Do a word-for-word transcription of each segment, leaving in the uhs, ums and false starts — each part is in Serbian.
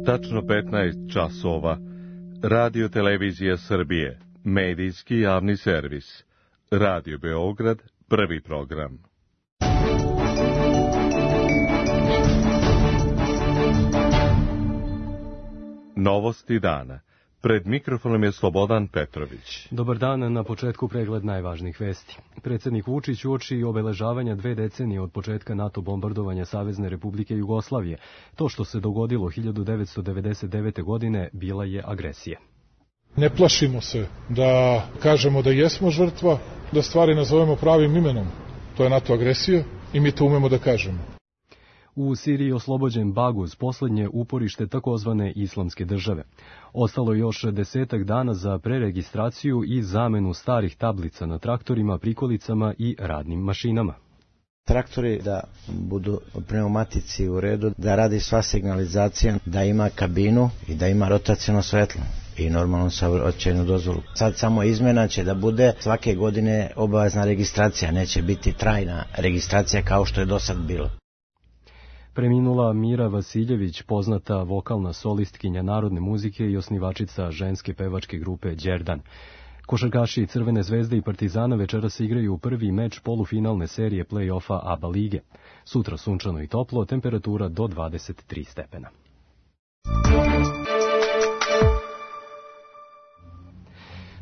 Tačno petnaest časova. Radio Televizija Srbije. Medijski javni servis. Radio Beograd, prvi program. Novosti dana. Pred mikrofonom je Slobodan Petrović. Dobar dan, na početku pregled najvažnijih vesti. Predsjednik Vučić uoči obeležavanja dve decenije od početka NATO bombardovanja Savezne Republike Jugoslavije. To što se dogodilo hiljadu devetsto devedeset devete. godine bila je agresija. Ne plašimo se da kažemo da jesmo žrtva, da stvari nazovemo pravim imenom. To je NATO agresija i mi to umemo da kažemo. U Siriji oslobođen Baguz, posljednje uporište takozvane islamske države. Ostalo još desetak dana za preregistraciju i zamenu starih tablica na traktorima, prikolicama i radnim mašinama. Traktori da budu pneumatici u redu, da radi sva signalizacija, da ima kabinu i da ima rotaciono svetlo i normalno saobraćajnu dozvolu. Sad samo izmjena će da bude svake godine obavezna registracija, neće biti trajna registracija kao što je do sad bilo. Preminula Mira Vasiljević, poznata vokalna solistkinja narodne muzike i osnivačica ženske pevačke grupe Đerdan. Košarkaši Crvene zvezde i Partizana večeras igraju prvi meč polufinalne serije play-offa ABA lige. Sutra sunčano i toplo, temperatura do dvadeset tri stepena.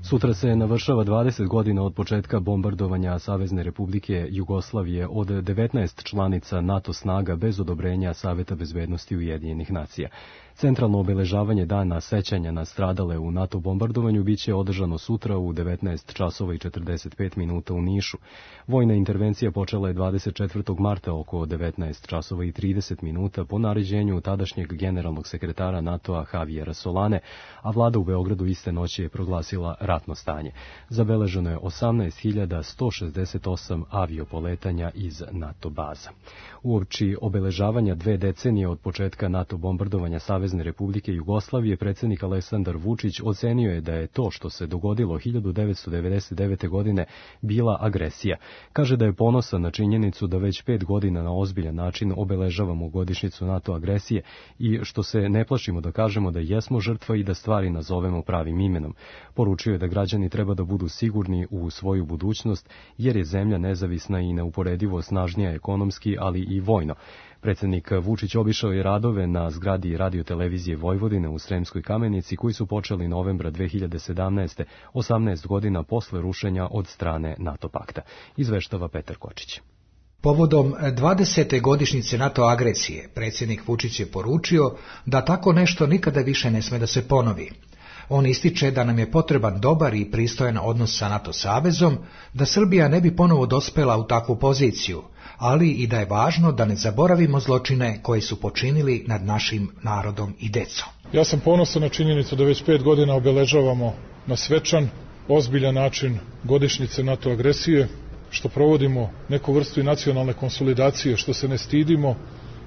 Sutra se navršava dvadeset godina od početka bombardovanja Savezne Republike Jugoslavije od devetnaest članica NATO snaga bez odobrenja Saveta bezbednosti Ujedinjenih nacija. Centralno obeležavanje dana sećanja na stradale u NATO bombardovanju biće održano sutra u devetnaest časova i četrdeset pet minuta u Nišu. Vojna intervencija počela je dvadeset četvrtog marta oko devetnaest časova i trideset minuta po naređenju tadašnjeg generalnog sekretara NATO-a Javiera Solane, a vlada u Beogradu iste noći je proglasila ratno stanje. Zabeleženo je osamnaest hiljada sto šezdeset osam aviopoletanja iz NATO baza. Uoči obeležavanja dve decenije od početka NATO bombardovanja Savezne Republike Jugoslavije, predsjednik Aleksandar Vučić ocenio je da je to što se dogodilo hiljadu devetsto devedeset devete. godine bila agresija. Kaže da je ponosan na činjenicu da već pet godina na ozbiljan način obeležavamo godišnjicu NATO agresije i što se ne plašimo da kažemo da jesmo žrtva i da stvari nazovemo pravim imenom. Poručio je da građani treba da budu sigurni u svoju budućnost jer je zemlja nezavisna i neuporedivo snažnija ekonomski, ali i vojno. Predsjednik Vučić obišao je radove na zgradi Radio Televizije Vojvodine u Sremskoj Kamenici koji su počeli novembra dve hiljade sedamnaeste. osamnaest godina posle rušenja od strane NATO pakta. Izveštava Petar Kočić. Povodom dvadesete godišnjice NATO agresije, predsjednik Vučić je poručio da tako nešto nikada više ne sme da se ponovi. On ističe da nam je potreban dobar i pristojan odnos sa NATO savezom, da Srbija ne bi ponovo dospela u takvu poziciju, ali i da je važno da ne zaboravimo zločine koje su počinili nad našim narodom i decom. Ja sam ponosan na činjenicu da već pet godina obeležavamo na svečan, ozbiljan način godišnjice NATO agresije, što provodimo neku vrstu i nacionalne konsolidacije, što se ne stidimo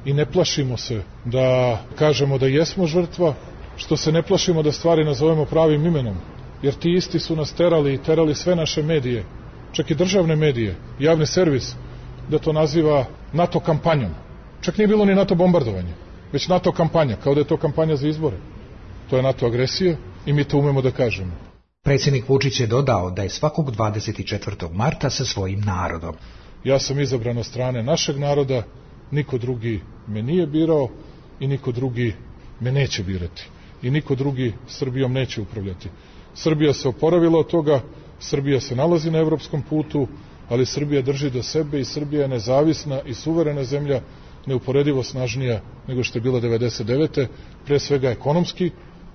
i ne plašimo se da kažemo da jesmo žrtva, što se ne plašimo da stvari nazovemo pravim imenom, jer ti isti su nas terali i terali sve naše medije, čak i državne medije, javni servis, da to naziva NATO kampanjom. Čak nije bilo ni NATO bombardovanje, već NATO kampanja, kao da je to kampanja za izbore. To je NATO agresija i mi to umemo da kažemo. Predsjednik Vučić je dodao da je svakog dvadeset četvrtog marta sa svojim narodom. Ja sam izabran od strane našeg naroda, niko drugi me nije birao i niko drugi me neće birati. I niko drugi Srbijom neće upravljati. Srbija se oporavila od toga, Srbija se nalazi na evropskom putu, ali Srbija drži do sebe i Srbija je nezavisna i suverena zemlja, neuporedivo snažnija nego što je bila devedeset devete. Pre svega ekonomski,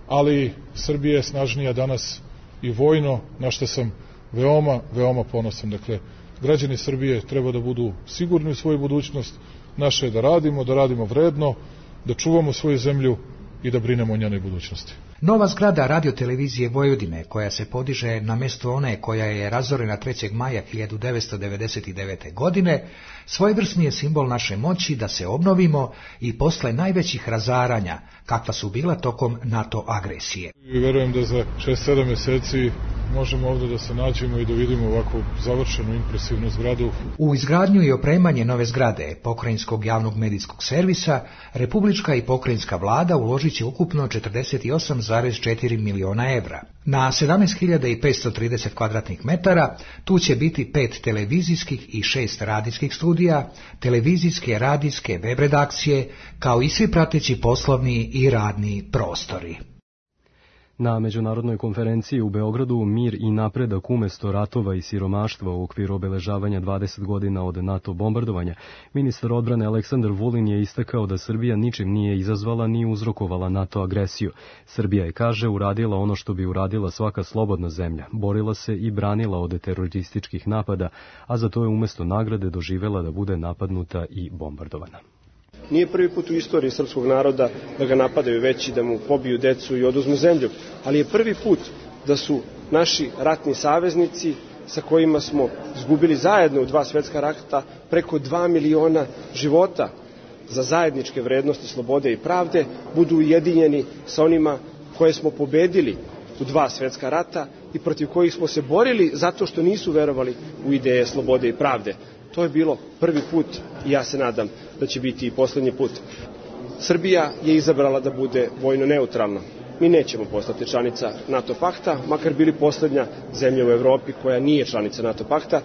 ali Srbija je snažnija danas i vojno, na što sam veoma, veoma ponosan. Dakle, građani Srbije treba da budu sigurni u svoju budućnost, naše je da radimo, da radimo vredno, da čuvamo svoju zemlju i da brinemo o njenoj budućnosti. Nova zgrada Radio Televizije Vojvodine, koja se podiže na mjestu one koja je razorena trećeg maja hiljadu devetsto devedeset devete. godine, svojevrsni je simbol naše moći da se obnovimo i posle najvećih razaranja, kakva su bila tokom NATO agresije. I verujem da za šest sedam mjeseci možemo ovde da se nađemo i da vidimo ovako završenu impresivnu zgradu. U izgradnju i opremanje nove zgrade Pokrajinskog javnog medijskog servisa republička i pokrajinska vlada uložit će ukupno četrdeset osam zarez četiri miliona evra. Na sedamnaest hiljada petsto trideset kvadratnih metara tu će biti pet televizijskih i šest radijskih studija, televizijske, radijske, web redakcije, kao i svi prateći poslovni i radni prostori. Na međunarodnoj konferenciji u Beogradu Mir i napredak umesto ratova i siromaštva u okviru obeležavanja dvadeset godina od NATO bombardovanja, ministar odbrane Aleksandar Vulin je istakao da Srbija ničim nije izazvala ni uzrokovala NATO agresiju. Srbija je, kaže, uradila ono što bi uradila svaka slobodna zemlja, borila se i branila od terorističkih napada, a za to je umesto nagrade doživela da bude napadnuta i bombardovana. Nije prvi put u istoriji srpskog naroda da ga napadaju veći, da mu pobiju decu i oduzmu zemlju, ali je prvi put da su naši ratni saveznici, sa kojima smo izgubili zajedno u dva svetska rata preko dva miliona života za zajedničke vrednosti slobode i pravde, budu ujedinjeni sa onima koje smo pobedili u dva svetska rata i protiv kojih smo se borili zato što nisu verovali u ideje slobode i pravde. To je bilo prvi put i ja se nadam da će biti i poslednji put. Srbija je izabrala da bude vojno neutralna. Mi nećemo postati članica NATO pakta, makar bili poslednja zemlja u Evropi koja nije članica NATO pakta.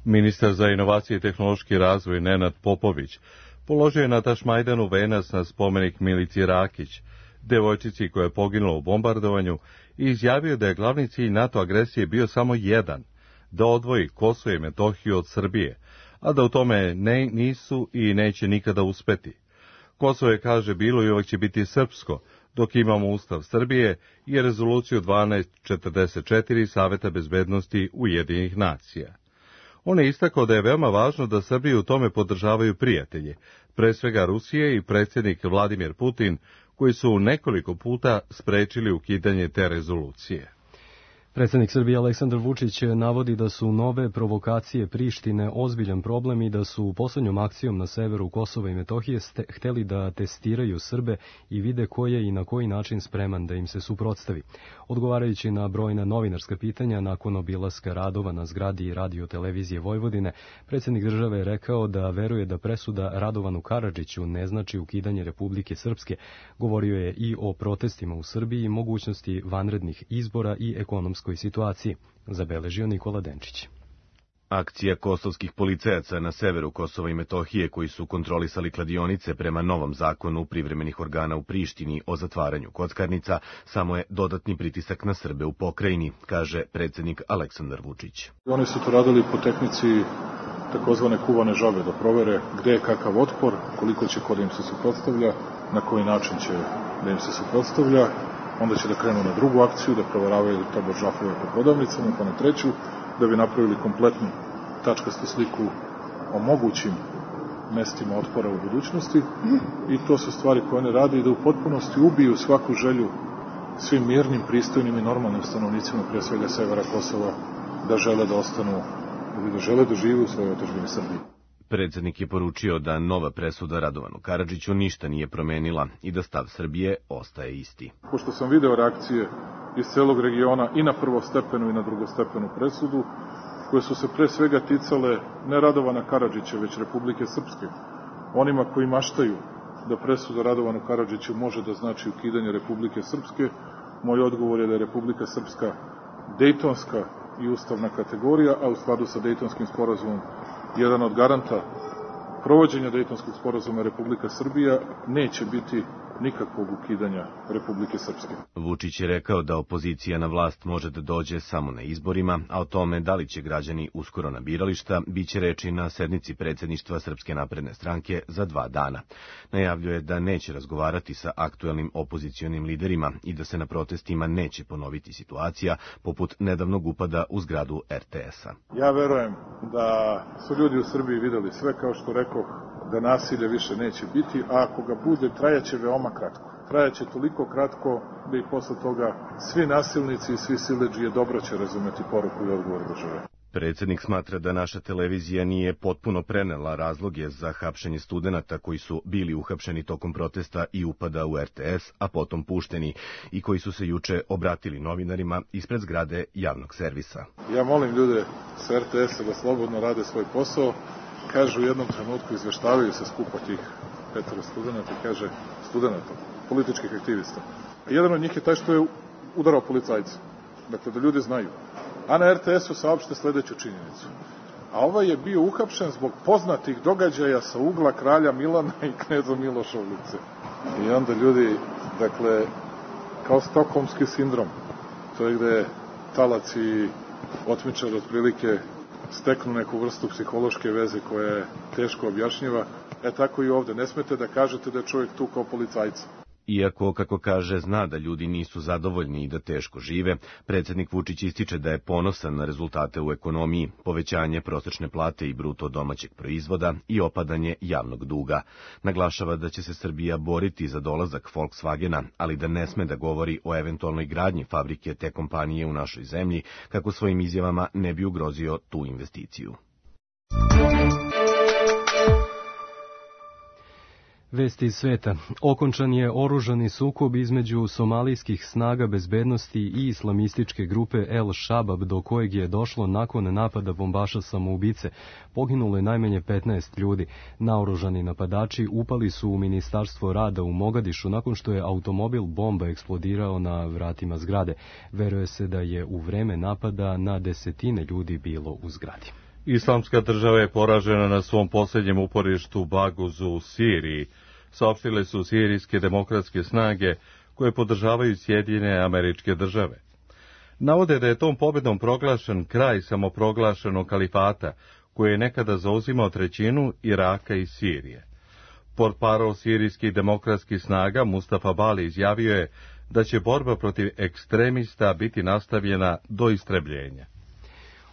Ministar za inovacije i tehnološki razvoj Nenad Popović položio je na Tašmajdanu venac na spomenik Milici Rakić, devojčici koja je poginula u bombardovanju, i izjavio da je glavni cilj NATO agresije bio samo jedan, da odvoji Kosovo i Metohiju od Srbije, a da u tome ne, nisu i neće nikada uspeti. Kosovo je, kaže, bilo i uvek će biti srpsko, dok imamo Ustav Srbije i rezoluciju dvanaest četrdeset četiri Saveta bezbednosti Ujedinjenih nacija. On je istakao da je veoma važno da Srbiju u tome podržavaju prijatelji, pre svega Rusije i predsjednik Vladimir Putin, koji su nekoliko puta sprečili ukidanje te rezolucije. Predsjednik Srbije Aleksandar Vučić navodi da su nove provokacije Prištine ozbiljan problem i da su poslednjom akcijom na severu Kosova i Metohije ste, hteli da testiraju Srbe i vide ko je i na koji način spreman da im se suprotstavi. Odgovarajući na brojna novinarska pitanja nakon obilaska radova na zgradi Radio televizije Vojvodine, predsjednik države je rekao da veruje da presuda Radovanu Karadžiću ne znači ukidanje Republike Srpske. Govorio je i o protestima u Srbiji i mogućnosti vanrednih izbora i ekonomskoj situaciji, zabeležio Nikola Denčić. Akcija kosovskih policajaca na severu Kosova i Metohije, koji su kontrolisali kladionice prema novom zakonu privremenih organa u Prištini o zatvaranju kockarnica, samo je dodatni pritisak na Srbe u pokrajini, kaže predsjednik Aleksandar Vučić. Oni su to radili po tehnici takozvane kuvane žabe, da provere gde je kakav otpor, koliko će ko da im se suprotstavlja, na koji način će da im se suprotstavlja. Onda će da krenu na drugu akciju, da proveravaju tabo žafove po prodavnicama, pa na treću, da bi napravili kompletnu tačkastu sliku o mogućim mestima otpora u budućnosti. I to su stvari koje one rade i da u potpunosti ubiju svaku želju svim mirnim, pristojnim i normalnim stanovnicima, prije svega severa Kosova, da žele da ostanu ili da žele da žive u svojoj otadžbini Srbiji. Predsjednik je poručio da nova presuda Radovanu Karadžiću ništa nije promenila i da stav Srbije ostaje isti. Pošto sam video reakcije iz celog regiona i na prvostepenu i na drugostepenu presudu, koje su se pre svega ticale ne Radovana Karadžića, već Republike Srpske, onima koji maštaju da presuda Radovanu Karadžiću može da znači ukidanje Republike Srpske, moj odgovor je da je Republika Srpska dejtonska i ustavna kategorija, a u skladu sa Dejtonskim sporazumom jedan od garanta provođenja Dejtonskog sporazuma Republika Srbija neće biti nikakvog ukidanja Republike Srpske. Vučić je rekao da opozicija na vlast može da dođe samo na izborima, a o tome da li će građani uskoro na birališta biće reči na sednici predsjedništva Srpske napredne stranke za dva dana. Najavljuje da neće razgovarati sa aktuelnim opozicionim liderima i da se na protestima neće ponoviti situacija poput nedavnog upada u zgradu er te es-a. Ja verujem da su ljudi u Srbiji videli sve, kao što rekoh, da nasilje više neće biti, a ako ga bude, trajaće veoma kratko. Trajaće toliko kratko da i posle toga svi nasilnici i svi siledžije dobro će razumeti poruku i odgovor države. Predsednik smatra da naša televizija nije potpuno prenela razloge za hapšenje studenata koji su bili uhapšeni tokom protesta i upada u R T S, a potom pušteni, i koji su se juče obratili novinarima ispred zgrade javnog servisa. Ja molim ljude s R T S-a da slobodno rade svoj posao. Kažu u jednom trenutku, izveštavaju se skupa tih petero studenata, kaže studenata, političkih aktivista. Jedan od njih je taj što je udarao policajca. Dakle, da ljudi znaju. A na R T S-u saopšte sledeću činjenicu. A ovaj je bio uhapšen zbog poznatih događaja sa ugla kralja Milana i kneza Miloša ulice. I onda ljudi, dakle, kao stokholmski sindrom, to je gde talac i otmičar otprilike steknu neku vrstu psihološke veze koja je teško objašnjiva, e tako i ovde. Ne smete da kažete da je čovjek tu kao policajca. Iako, kako kaže, zna da ljudi nisu zadovoljni i da teško žive, predsednik Vučić ističe da je ponosan na rezultate u ekonomiji, povećanje prosečne plate i bruto domaćeg proizvoda i opadanje javnog duga. Naglašava da će se Srbija boriti za dolazak Volkswagena, ali da ne sme da govori o eventualnoj gradnji fabrike te kompanije u našoj zemlji, kako svojim izjavama ne bi ugrozio tu investiciju. Vesti iz sveta. Okončan je oružani sukob između somalijskih snaga bezbednosti i islamističke grupe El Shabab, do kojeg je došlo nakon napada bombaša samoubice. Poginulo je najmanje petnaest ljudi. Naoružani napadači upali su u Ministarstvo rada u Mogadišu nakon što je automobil bomba eksplodirao na vratima zgrade. Veruje se da je u vreme napada na desetine ljudi bilo u zgradi. Islamska država je poražena na svom posljednjem uporištu Baguzu u Siriji, saopštile su sirijske demokratske snage koje podržavaju Sjedinjene Američke Države. Navode da je tom pobedom proglašen kraj samoproglašenog kalifata, koji je nekada zauzimao trećinu Iraka i Sirije. Portparol sirijskih demokratskih snaga Mustafa Bali izjavio je da će borba protiv ekstremista biti nastavljena do istrebljenja.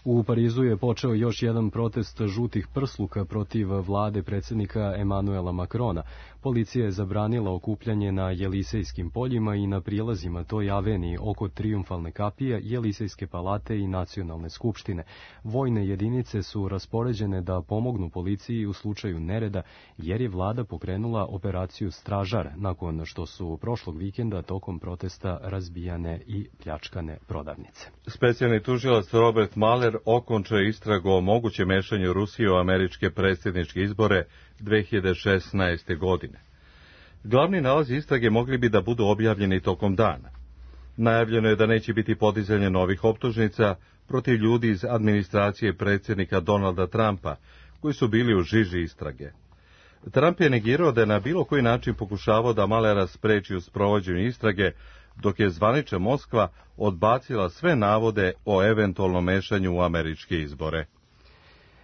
U Parizu je počeo još jedan protest žutih prsluka protiv vlade predsjednika Emanuela Makrona. Policija je zabranila okupljanje na Jelisejskim poljima i na prilazima toj aveniji oko Trijumfalne kapije, Jelisejske palate i Nacionalne skupštine. Vojne jedinice su raspoređene da pomognu policiji u slučaju nereda, jer je vlada pokrenula operaciju Stražar, nakon što su prošlog vikenda tokom protesta razbijane i pljačkane prodavnice. Specijalni tužilac Robert Mueller okončao je istragu o mogućem mešanju Rusije u američke predsjedničke izbore dve hiljade šesnaeste. godine. Glavni nalazi istrage mogli bi da budu objavljeni tokom dana. Najavljeno je da neće biti podizanje novih optužnica protiv ljudi iz administracije predsjednika Donalda Trumpa, koji su bili u žiži istrage. Trump je negirao da je na bilo koji način pokušavao da Muellera spreči u sprovođenju istrage, dok je zvanična Moskva odbacila sve navode o eventualnom mešanju u američke izbore.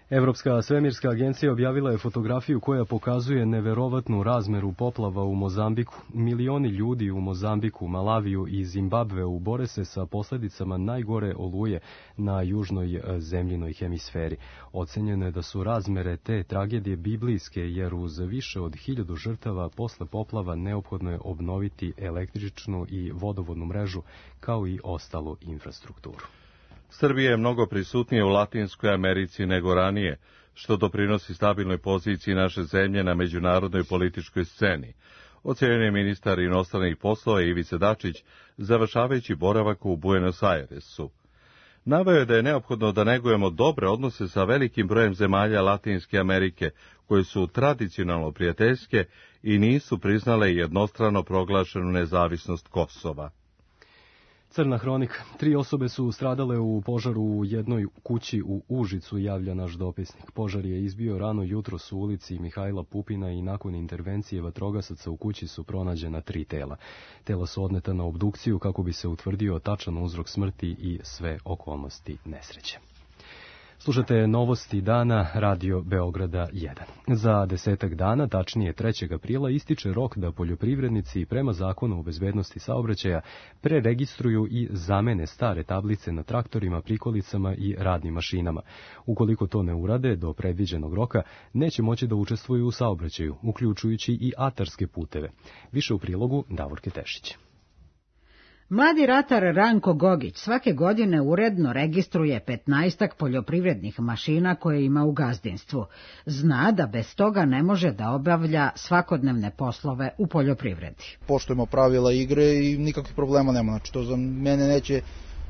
Evropska svemirska agencija objavila je fotografiju koja pokazuje neverovatnu razmeru poplava u Mozambiku. Milioni ljudi u Mozambiku, Malaviju i Zimbabveu bore se sa posljedicama najgore oluje na južnoj zemljinoj hemisferi. Ocenjeno je da su razmere te tragedije biblijske, jer uz više od hiljadu žrtava posle poplava neophodno je obnoviti električnu i vodovodnu mrežu, kao i ostalu infrastrukturu. Srbija je mnogo prisutnije u Latinskoj Americi nego ranije, što doprinosi stabilnoj poziciji naše zemlje na međunarodnoj političkoj sceni, ocenio je ministar inostranih poslova Ivica Dačić, završavajući boravak u Buenos Airesu. Naveo je da je neophodno da negujemo dobre odnose sa velikim brojem zemalja Latinske Amerike, koje su tradicionalno prijateljske i nisu priznale jednostrano proglašenu nezavisnost Kosova. Crna hronika. Tri osobe su stradale u požaru u jednoj kući u Užicu, javlja naš dopisnik. Požar je izbio rano jutros u ulici Mihajla Pupina i nakon intervencije vatrogasaca u kući su pronađena tri tela. Tela su odneta na obdukciju kako bi se utvrdio tačan uzrok smrti i sve okolnosti nesreće. Slušate novosti dana Radio Beograda jedan. Za desetak dana, tačnije trećeg aprila, ističe rok da poljoprivrednici prema zakonu o bezbednosti saobraćaja preregistruju i zamene stare tablice na traktorima, prikolicama i radnim mašinama. Ukoliko to ne urade do predviđenog roka, neće moći da učestvuju u saobraćaju, uključujući i atarske puteve. Više u prilogu Davorke Tešić. Mladi ratar Ranko Gogić svake godine uredno registruje petnaestak poljoprivrednih mašina koje ima u gazdinstvu. Zna da bez toga ne može da obavlja svakodnevne poslove u poljoprivredi. Poštujemo pravila igre i nikakvih problema nema, znači to za mene neće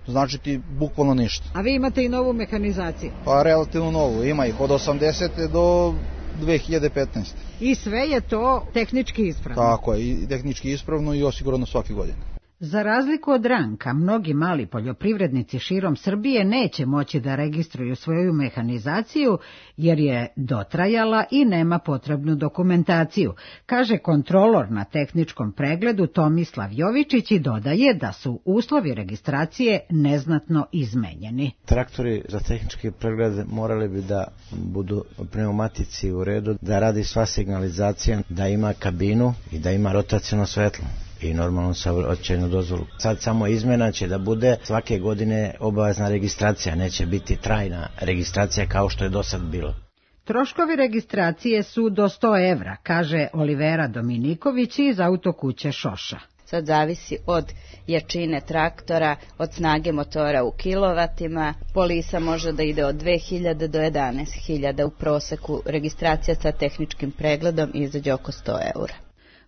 značiti bukvalno ništa. A vi imate i novu mehanizaciju? Pa relativno novu, ima ih od osamdesete do dve hiljade petnaeste. I sve je to tehnički ispravno? Tako je, i tehnički ispravno i osigurano svake godine. Za razliku od Ranka, mnogi mali poljoprivrednici širom Srbije neće moći da registruju svoju mehanizaciju jer je dotrajala i nema potrebnu dokumentaciju, kaže kontrolor na tehničkom pregledu Tomislav Jovičić i dodaje da su uslovi registracije neznatno izmenjeni. Traktori za tehnički pregled morali bi da budu pneumatici u redu, da radi sva signalizacija, da ima kabinu i da ima rotaciono svetlo i normalno saobraćajnu dozvolu. Sad samo izmena će da bude svake godine obavezna registracija, neće biti trajna registracija kao što je do sad bilo. Troškovi registracije su do sto evra, kaže Olivera Dominiković iz autokuće Šoša. Sad zavisi od jačine traktora, od snage motora u kilovatima. Polisa može da ide od dve hiljade do jedanaest hiljada u proseku. Registracija sa tehničkim pregledom izađe oko sto eura.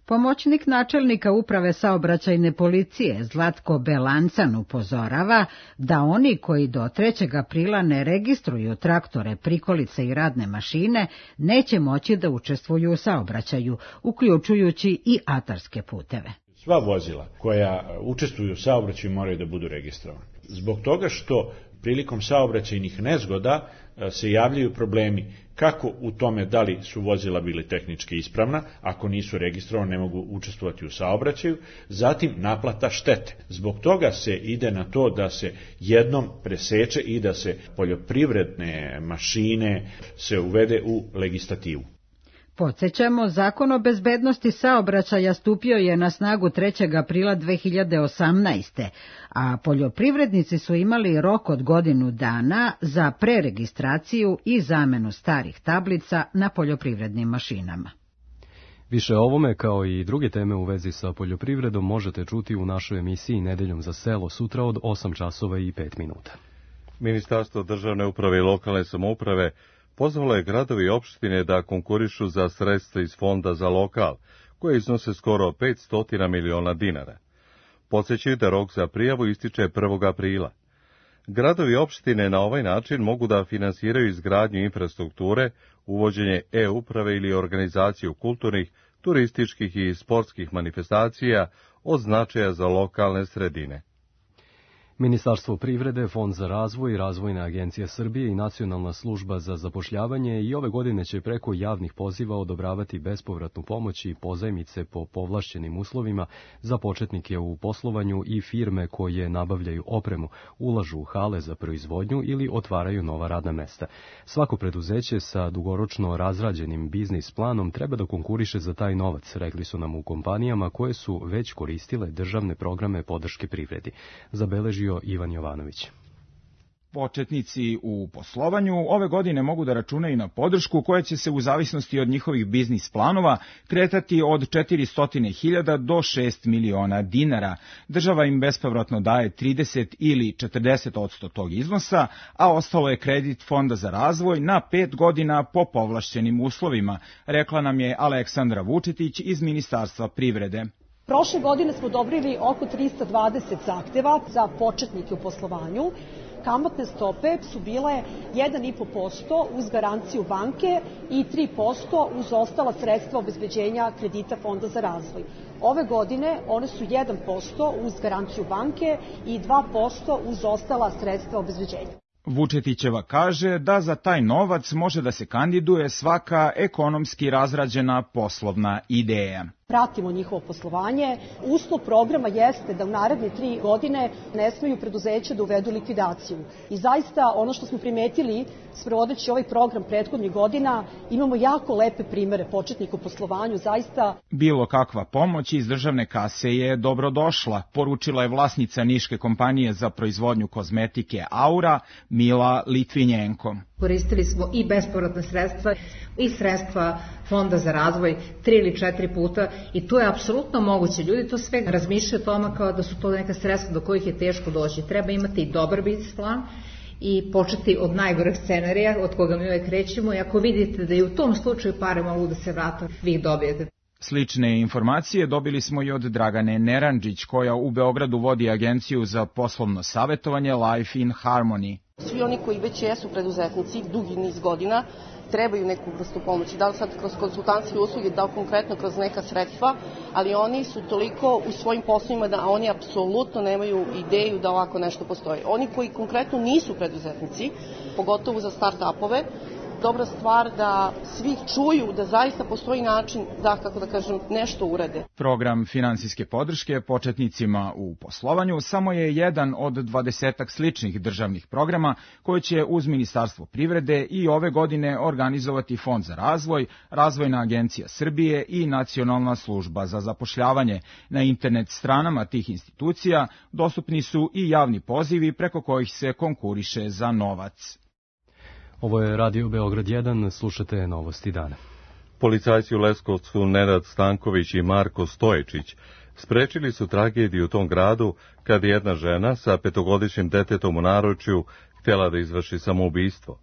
Pomoćnik načelnika uprave saobraćajne policije Zlatko Belancan upozorava da oni koji do trećeg aprila ne registruju traktore, prikolice i radne mašine neće moći da učestvuju u saobraćaju, uključujući i atarske puteve. Sva vozila koja učestvuju u saobraćaju moraju da budu registrovane. Zbog toga što prilikom saobraćajnih nezgoda se javljaju problemi kako u tome da li su vozila bili tehnički ispravna, ako nisu registrovane ne mogu učestvovati u saobraćaju, zatim naplata štete. Zbog toga se ide na to da se jednom preseče i da se poljoprivredne mašine se uvede u legislativu. Podsjećamo, Zakon o bezbednosti saobraćaja stupio je na snagu trećeg aprila dve hiljade osamnaeste. a poljoprivrednici su imali rok od godinu dana za preregistraciju i zamenu starih tablica na poljoprivrednim mašinama. Više o ovome, kao i druge teme u vezi sa poljoprivredom, možete čuti u našoj emisiji Nedeljom za selo sutra od osam časova i pet minuta. Ministarstvo državne uprave i lokalne samouprave pozvalo je gradovi i opštine da konkurišu za sredstva iz Fonda za lokal, koje iznose skoro petsto miliona dinara. Podsjećaju da rok za prijavu ističe prvog aprila. Gradovi i opštine na ovaj način mogu da finansiraju izgradnju infrastrukture, uvođenje e-uprave ili organizaciju kulturnih, turističkih i sportskih manifestacija od značaja za lokalne sredine. Ministarstvo privrede, Fond za razvoj, Razvojna agencija Srbije i Nacionalna služba za zapošljavanje i ove godine će preko javnih poziva odobravati bespovratnu pomoć i pozajmice po povlašćenim uslovima za početnike u poslovanju i firme koje nabavljaju opremu, ulažu u hale za proizvodnju ili otvaraju nova radna mesta. Svako preduzeće sa dugoročno razrađenim biznis planom treba da konkuriše za taj novac, rekli su nam u kompanijama koje su već koristile državne programe podrške privredi. Zabeležio Ivan Jovanović. Početnici u poslovanju ove godine mogu da računaju na podršku koja će se u zavisnosti od njihovih biznis planova kretati od četiristo hiljada do šest miliona dinara. Država im bespovratno daje trideset ili četrdeset posto tog iznosa, a ostalo je kredit Fonda za razvoj na pet godina po povlašćenim uslovima, rekla nam je Aleksandra Vučetić iz Ministarstva privrede. Prošle godine smo odobrili oko trista dvadeset zahteva za početnike u poslovanju. Kamatne stope su bile jedan i po posto uz garanciju banke i tri posto uz ostala sredstva obezbeđenja kredita Fonda za razvoj. Ove godine one su jedan posto uz garanciju banke i dva posto uz ostala sredstva obezbeđenja. Vučetićeva kaže da za taj novac može da se kandiduje svaka ekonomski razrađena poslovna ideja. Pratimo njihovo poslovanje. Uslov programa jeste da u naredne tri godine ne smeju preduzeća da uvedu likvidaciju. I zaista ono što smo primetili sprovodeći ovaj program prethodnih godina, imamo jako lepe primere početnika u poslovanju, zaista. Bilo kakva pomoć iz državne kase je dobrodošla, poručila je vlasnica niške kompanije za proizvodnju kozmetike Aura, Mila Litvinjenko. Koristili smo i bespovratna sredstva i sredstva Fonda za razvoj tri ili četiri puta i to je apsolutno moguće. Ljudi to sve razmišljaju o tome kao da su to neka sredstva do kojih je teško doći. Treba imati i dobar biznis plan i početi od najgoreg scenarija od koga mi uvek krećemo, i ako vidite da i u tom slučaju pare mogu da se vrate, vi ih dobijete. Slične informacije dobili smo i od Dragane Neranđić, koja u Beogradu vodi agenciju za poslovno savjetovanje Life in Harmony. Svi oni koji već jesu preduzetnici dugi niz godina trebaju neku vrstu pomoći, da li sad kroz konsultantske usluge, da li konkretno kroz neka sredstva, ali oni su toliko u svojim poslovima da oni apsolutno nemaju ideju da ovako nešto postoji. Oni koji konkretno nisu preduzetnici, pogotovo za start-upove, dobra stvar da svi čuju da zaista postoji način da, kako da kažem, nešto urade. Program finansijske podrške početnicima u poslovanju samo je jedan od dvadesetak sličnih državnih programa koje će uz Ministarstvo privrede i ove godine organizovati Fond za razvoj, Razvojna agencija Srbije i Nacionalna služba za zapošljavanje. Na internet stranama tih institucija dostupni su i javni pozivi preko kojih se konkuriše za novac. Ovo je Radio Beograd jedan, slušate Novosti dana. Policajci u Leskovcu Nenad Stanković i Marko Stoječić sprečili su tragediju u tom gradu kad je jedna žena sa petogodišnjim detetom u naručju htjela da izvrši samoubistvo.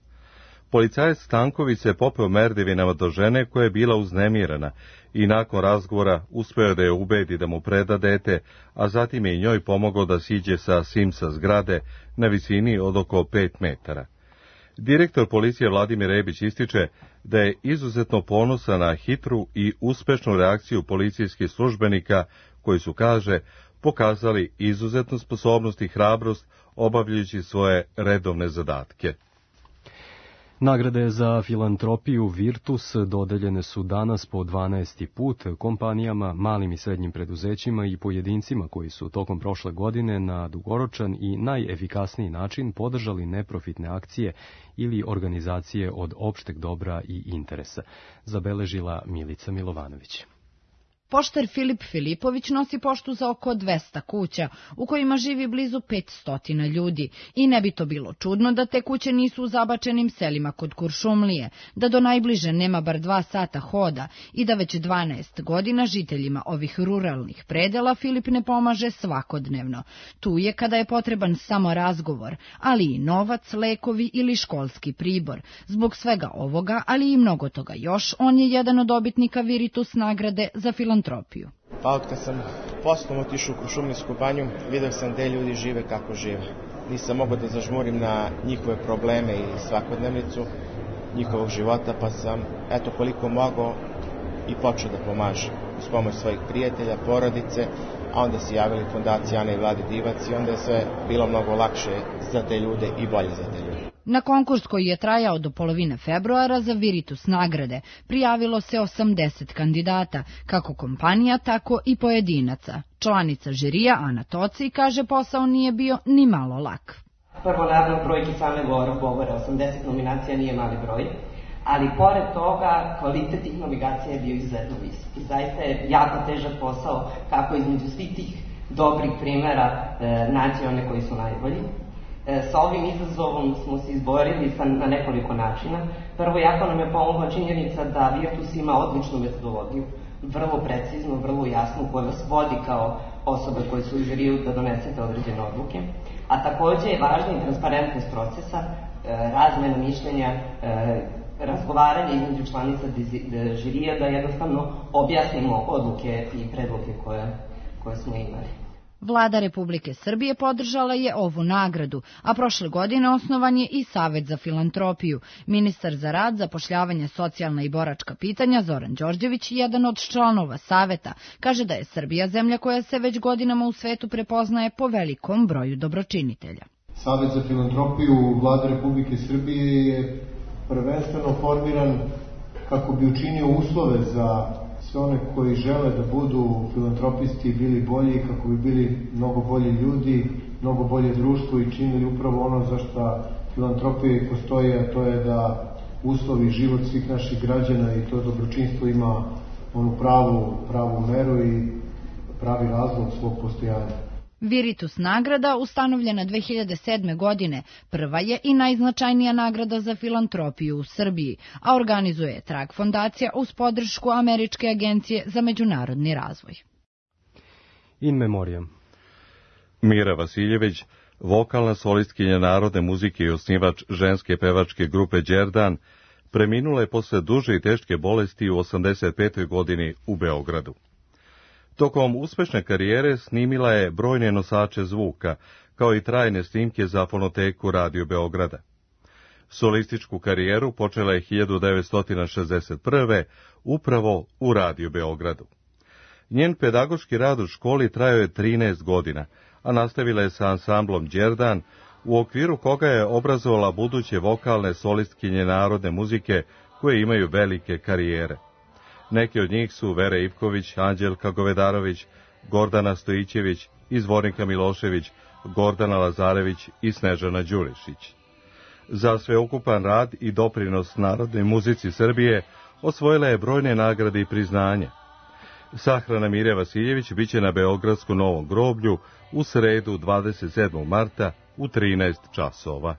Policajac Stanković se popeo merdevinama do žene koja je bila uznemirena i nakon razgovora uspeo da je ubedi da mu preda dete, a zatim je i njoj pomogao da siđe sa Simsa zgrade na visini od oko pet metara. Direktor policije Vladimir Rebić ističe da je izuzetno ponosan na hitru i uspešnu reakciju policijskih službenika koji su, kaže, pokazali izuzetnu sposobnost i hrabrost obavljajući svoje redovne zadatke. Nagrade za filantropiju Virtus dodeljene su danas po dvanaesti put kompanijama, malim i srednjim preduzećima i pojedincima koji su tokom prošle godine na dugoročan i najefikasniji način podržali neprofitne akcije ili organizacije od opšteg dobra i interesa, zabeležila Milica Milovanović. Poštar Filip Filipović nosi poštu za oko dvesta kuća, u kojima živi blizu petsto ljudi. I ne bi to bilo čudno da te kuće nisu u zabačenim selima kod Kuršumlije, da do najbliže nema bar dva sata hoda i da već dvanaest godina žiteljima ovih ruralnih predela Filip ne pomaže svakodnevno. Tu je kada je potreban samo razgovor, ali i novac, lekovi ili školski pribor. Zbog svega ovoga, ali i mnogo toga još, on je jedan od dobitnika Viritus nagrade za filantropiju. Pa od kad sam poslom otišao u Kuršumlijsku banju, vidio sam gde ljudi žive kako žive. Nisam mogao da zažmurim na njihove probleme i svakodnevnicu njihovog života, pa sam, eto koliko mogao, i počeo da pomažem uz pomoć svojih prijatelja, porodice, a onda se javili fondacija Ana i Vlade Divac i onda je sve bilo mnogo lakše za te ljude i bolje za te ljude. Na konkurs koji je trajao do polovine februara za Viritus nagrade prijavilo se osamdeset kandidata, kako kompanija, tako i pojedinaca. Članica žirija Ana Toci kaže posao nije bio ni malo lak. Prvo, naravno, brojke same govore, osamdeset nominacija nije mali broj, ali pored toga kvalitet tih nominacija je bio izuzetno visok. I zaista je jako težak posao kako između svih tih dobrih primjera e, naći one koji su najbolji. Sa ovim izazovom smo se izborili na nekoliko načina. Prvo, jako nam je pomogla činjenica da Virtus ima odličnu metodologiju, vrlo preciznu, vrlo jasnu, koja vas vodi kao osobe koje su u žiriju da donesete određene odluke. A takođe je važna i transparentnost procesa, razmena mišljenja, razgovaranje između članica žirija da jednostavno objasnimo odluke i predloge koje, koje smo imali. Vlada Republike Srbije podržala je ovu nagradu, a prošle godine osnovan je i Savet za filantropiju. Ministar za rad, zapošljavanje, socijalna i boračka pitanja Zoran Đorđević, jedan od članova Saveta, kaže da je Srbija zemlja koja se već godinama u svetu prepoznaje po velikom broju dobročinitelja. Savet za filantropiju Vlade Republike Srbije je prvenstveno formiran kako bi učinio uslove za sve one koji žele da budu filantropisti bili bolji, kako bi bili mnogo bolji ljudi, mnogo bolje društvo i činili upravo ono za što filantropije postoje, a to je da uslovi život svih naših građana i to dobročinstvo ima onu pravu, pravu meru i pravi razlog svog postojanja. Viritus nagrada, ustanovljena dve hiljade sedme. godine, prva je i najznačajnija nagrada za filantropiju u Srbiji, a organizuje je Trag fondacija uz podršku Američke agencije za međunarodni razvoj. In memoriam. Mira Vasiljević, vokalna solistkinja narodne muzike i osnivač ženske pevačke grupe Đerdan, preminula je posle duže i teške bolesti u osamdeset petoj. godini u Beogradu. Tokom uspešne karijere snimila je brojne nosače zvuka, kao i trajne snimke za fonoteku Radio Beograda. Solističku karijeru počela je hiljadu devetsto šezdeset prve. upravo u Radio Beogradu. Njen pedagoški rad u školi trajao je trinaest godina, a nastavila je sa ansamblom Đerdan, u okviru koga je obrazovala buduće vokalne solistkinje narodne muzike koje imaju velike karijere. Neki od njih su Vera Ivković, Anđelka Govedarović, Gordana Stojićević, Izvornika Milošević, Gordana Lazarević i Snežana Đurišić. Za sveukupan rad i doprinos narodnoj muzici Srbije osvojila je brojne nagrade i priznanje. Sahrana Mire Vasiljević biće na Beogradskom Novom groblju u sredu dvadeset sedmog marta u trinaest časova.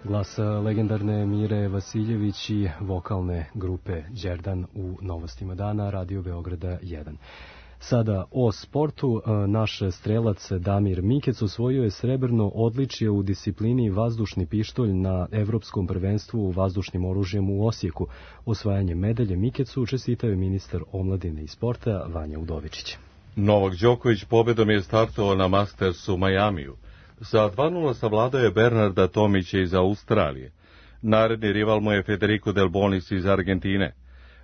Glas legendarne Mire Vasiljević i vokalne grupe Đerdan u Novostima dana, Radio Beograda jedan. Sada o sportu. Naš strelac Damir Mikec osvojio je srebrno odličje u disciplini vazdušni pištolj na Evropskom prvenstvu vazdušnim oružjem u Osijeku. Osvajanje medalje Mikecu čestitao je ministar omladine i sporta Vanja Udovičić. Novak Đoković pobedom je startovao na Mastersu u Majamiju. Sa dva nula savladao je Bernarda Tomića iz Australije. Naredni rival mu je Federico Del Bonis iz Argentine.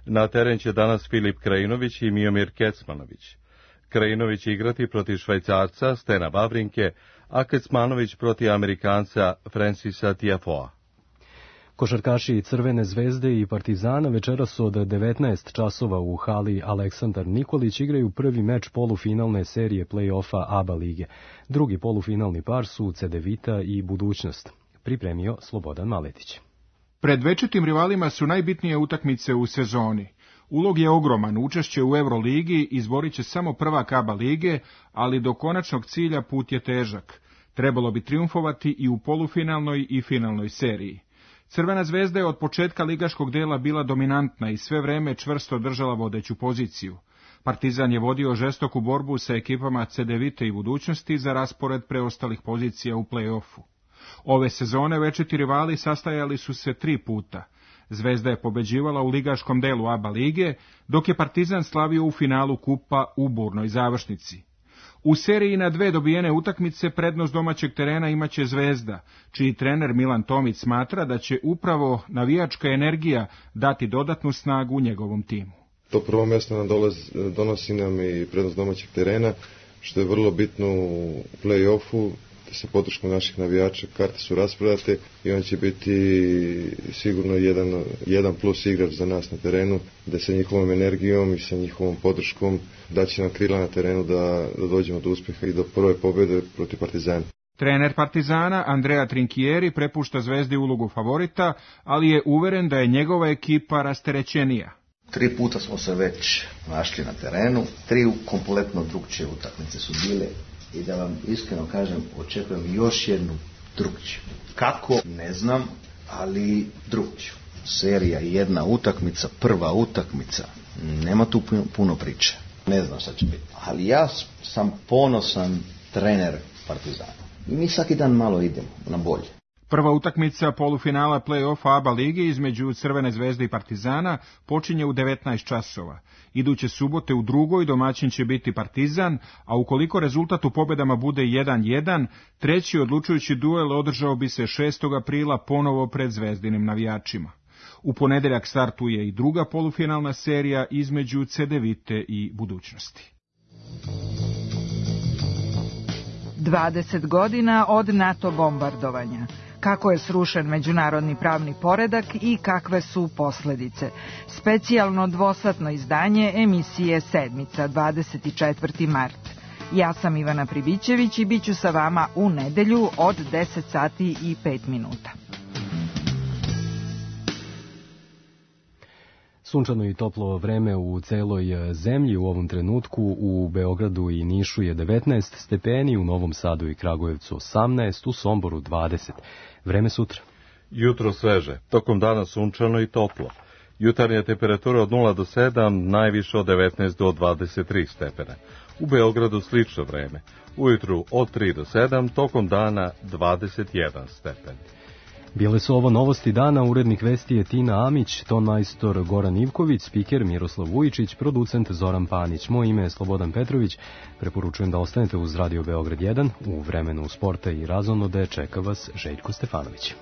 Na teren će danas Filip Krajinović i Miomir Kecmanović. Krajinović će igrati protiv Švajcarca Stena Wawrinke, a Kecmanović protiv Amerikanca Francisa Tiafoea. Košarkaši Crvene zvezde i Partizana večeras od devetnaest časova u hali Aleksandar Nikolić igraju prvi meč polufinalne serije play-offa A B A lige. Drugi polufinalni par su Cedevita i Budućnost. Pripremio Slobodan Maletić. Pred večitim rivalima su najbitnije utakmice u sezoni. Ulog je ogroman, učešće u Euroligi izborit će samo prvak A B A lige, ali do konačnog cilja put je težak. Trebalo bi triumfovati i u polufinalnoj i finalnoj seriji. Crvena zvezda je od početka ligaškog dela bila dominantna i sve vreme čvrsto držala vodeću poziciju. Partizan je vodio žestoku borbu sa ekipama Cedevite i Budućnosti za raspored preostalih pozicija u play-offu. Ove sezone večiti rivali sastajali su se tri puta. Zvezda je pobeđivala u ligaškom delu A B A lige, dok je Partizan slavio u finalu kupa u burnoj završnici. U seriji na dve dobijene utakmice prednost domaćeg terena imaće Zvezda, čiji trener Milan Tomić smatra da će upravo navijačka energija dati dodatnu snagu njegovom timu. To prvo mjesto nam dolazi, donosi nam i prednost domaćeg terena, što je vrlo bitno u play-offu. Sa podrškom naših navijača karte su rasprodate i on će biti sigurno jedan, jedan plus igrač za nas na terenu, da sa njihovom energijom i sa njihovom podrškom daće nam krila na terenu da, da dođemo do uspjeha i do prve pobjede protiv Partizana. Trener Partizana Andrea Trinchieri prepušta Zvezdi ulogu favorita, ali je uveren da je njegova ekipa rasterećenija. Tri puta smo se već našli na terenu, tri kompletno drugčije utakmice su bile. I da vam iskreno kažem, očekujem još jednu drugčiju. Kako? Ne znam, ali drugčiju. Serija jedna utakmica, prva utakmica, nema tu puno priče. Ne znam šta će biti. Ali ja sam ponosan trener Partizana. I mi svaki dan malo idemo na bolje. Prva utakmica polufinala play-offa A B A lige između Crvene zvezde i Partizana počinje u devetnaest časova. Iduće subote u drugoj domaćin će biti Partizan, a ukoliko rezultat u pobedama bude jedan jedan, treći odlučujući duel održao bi se šestog aprila ponovo pred zvezdinim navijačima. U ponedeljak startuje i druga polufinalna serija između Cedevite i Budućnosti. dvadeset godina od NATO bombardovanja. Kako je srušen međunarodni pravni poredak i kakve su posledice. Specijalno dvosatno izdanje emisije Sedmica, dvadeset četvrti mart. Ja sam Ivana Pribićević i bit ću sa vama u nedelju od deset sati i pet minuta. Sunčano i toplo vreme u celoj zemlji u ovom trenutku. U Beogradu i Nišu je devetnaest stepeni, u Novom Sadu i Kragujevcu osamnaest, u Somboru dvadeset. Vreme sutra. Jutro sveže, tokom dana sunčano i toplo. Jutarnja temperatura od nula do sedam, najviše od devetnaest do dvadeset tri stepena. U Beogradu slično vreme. Ujutru od tri do sedam, tokom dana dvadeset jedan stepen. Bile su ovo novosti dana, urednik vesti je Tina Amić, ton majstor Goran Ivković, spiker Miroslav Vujičić, producent Zoran Panić. Moje ime je Slobodan Petrović, preporučujem da ostanete uz Radio Beograd jedan, u vremenu sporta i razonode čeka vas Željko Stefanović.